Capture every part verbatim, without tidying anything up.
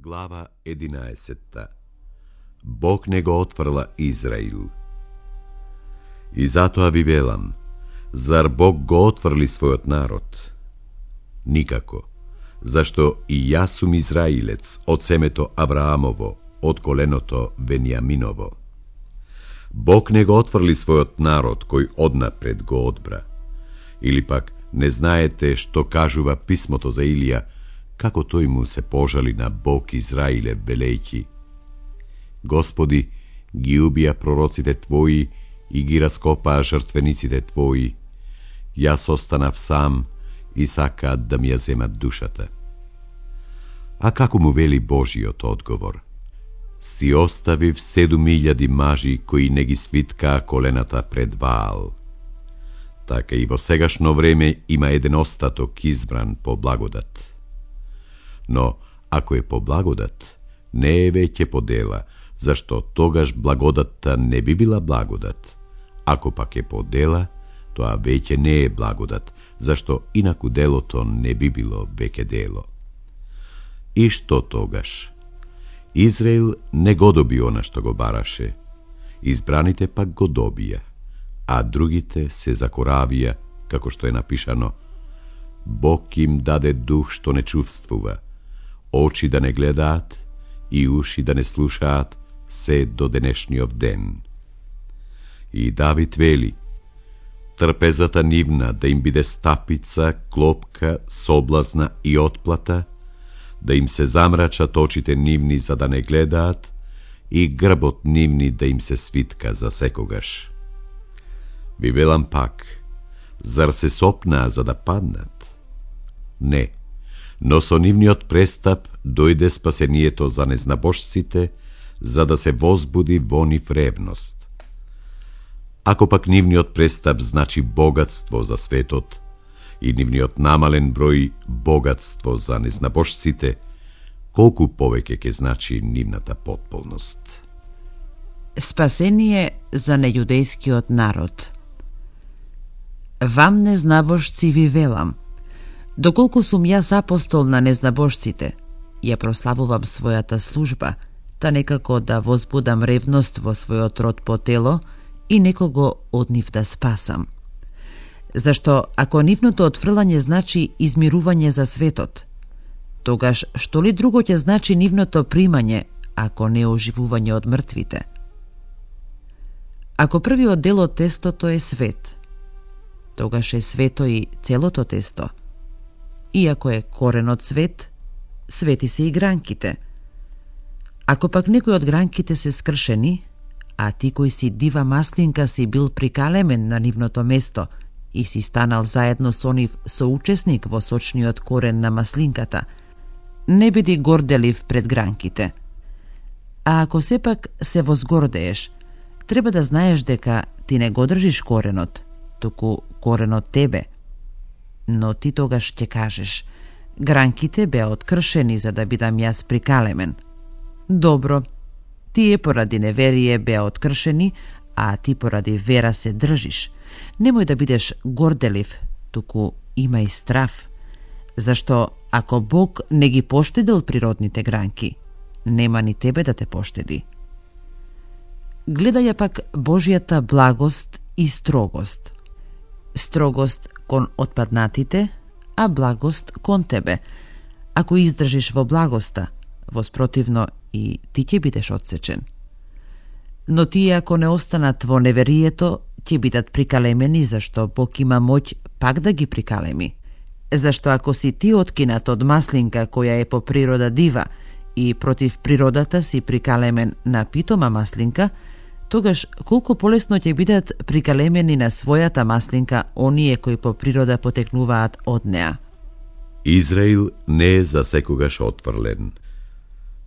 Глава единаесетта. Бог не го отврла Израил. И затоа ви велам, зар Бог го отврли својот народ? Никако, зашто и јас сум Израилец од семето Авраамово, од коленото Венијаминово. Бог не го отврли својот народ кој однапред го одбра. Или пак не знаете што кажува писмото за Илија, како тој му се пожали на Бог Израиле, велејќи: Господи, ги убија пророците Твои и ги раскопаа жртвениците Твои. Јас останав сам и сакаат да ми ја земат душата. А како му вели Божиот одговор? Си оставив седум илјади мажи кои не ги свиткаа колената пред Ваал. Така и во сегашно време има еден остаток избран по благодат. Но, ако е по благодат, не е веќе по дела, зашто тогаш благодатта не би била благодат. Ако пак е по дела, тоа веќе не е благодат, зашто инаку делото не би било веќе дело. И што тогаш? Израил не го доби она што го бараше, избраните пак го добија, а другите се закоравија, како што е напишано: Бог им даде дух што не чувствува, очи да не гледаат и уши да не слушаат, се до денешниот ден. И Давид вели: трпезата нивна да им биде стапица, клопка, соблазна и отплата, да им се замрачат очите нивни за да не гледаат и грбот нивни да им се свитка за секогаш. Ви велам пак, зар се сопнаа за да паднат? Не, но со нивниот престап дојде спасението за незнабожците, за да се возбуди во нив ревност. Ако пак нивниот престап значи богатство за светот и нивниот намален број богатство за незнабожците, колку повеќе ќе значи нивната потполност. Спасение за нејудејскиот народ. Вам, незнабожци, ви велам: доколку сум јас апостол на незнабожците, ја прославувам својата служба, та некако да возбудам ревност во својот род по тело и некого од нив да спасам. Зашто ако нивното отфрлање значи измирување за светот, тогаш што ли друго ќе значи нивното примање, ако не оживување од мртвите? Ако првиот дел од тестото е свет, тогаш е свето и целото тесто. И ако е коренот свет, свети се и гранките. Ако пак некој од гранките се скршени, а ти кој си дива маслинка си бил прикалемен на нивното место и си станал заедно со нив соучесник во сочниот корен на маслинката, не биди горделив пред гранките. А ако сепак се возгордееш, треба да знаеш дека ти не го држиш коренот, туку коренот тебе. Но ти тогаш ќе кажеш: гранките беа откршени за да бидам јас прикалемен. Добро, тие поради неверие беа откршени, а ти поради вера се држиш. Немој да бидеш горделив, туку имај страв, зашто ако Бог не ги поштедил природните гранки, нема ни тебе да те поштеди. Гледај ја пак Божјата благост и строгост. Строгост кон отпаднатите, а благост кон тебе. Ако издржиш во благоста, воспротивно и ти ќе бидеш отсечен. Но тие ако не останат во неверието, ќе бидат прикалемени, зашто Бог има моќ пак да ги прикалеми. Зашто ако си ти откинат од маслинка која е по природа дива и против природата си прикалемен на питома маслинка, тогаш колку полесно ќе бидат прикалемени на својата маслинка оние кои по природа потекнуваат од неа. Израил не е за секогаш отврлен.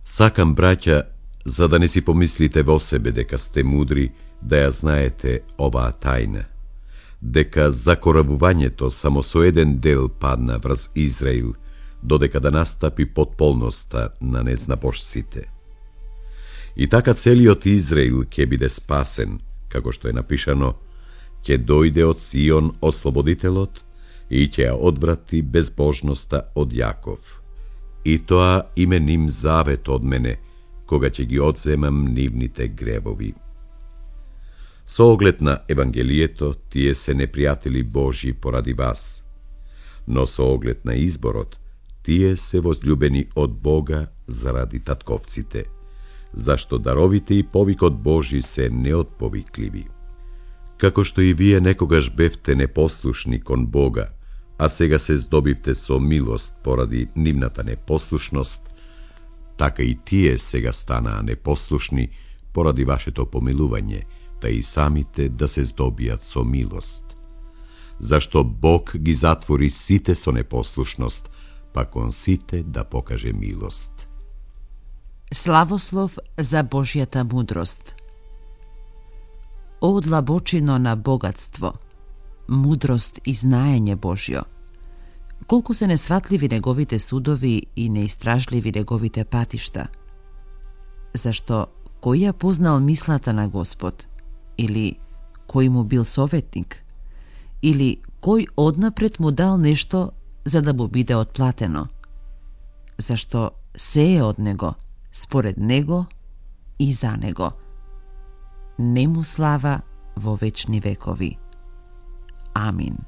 Сакам, браќа, за да не си помислите во себе дека сте мудри, да ја знаете оваа тајна, дека закоравувањето само со еден дел падна врз Израил, додека да настапи потполноста на незнабожците. И така целиот Израил ќе биде спасен, како што е напишано: ќе дојде од Сион ослободителот и ќе ја одврати безбожноста од Јаков. и тоа име ним завет од мене, кога ќе ги одземам нивните гребови. Со оглед на Евангелието, тие се непријатели Божи поради вас, но со оглед на изборот, тие се возљубени од Бога заради татковците, зашто даровите и повикот Божи се неотповикливи. Како што и вие некогаш бевте непослушни кон Бога, а сега се здобивте со милост поради нивната непослушност, така и тие сега станаа непослушни поради вашето помилување, та и самите да се здобијат со милост. Зашто Бог ги затвори сите со непослушност, па кон сите да покаже милост. Славослов за Божјата мудрост. О длабочино на богатство, мудрост и знаење Божјо, колку се несватливи неговите судови и неистражливи неговите патишта. Зашто кој ја познал мислата на Господ, или кој му бил советник, или кој однапред му дал нешто за да му биде отплатено, зашто се е од него, според него и за него. Нему слава во вечни векови. Амин.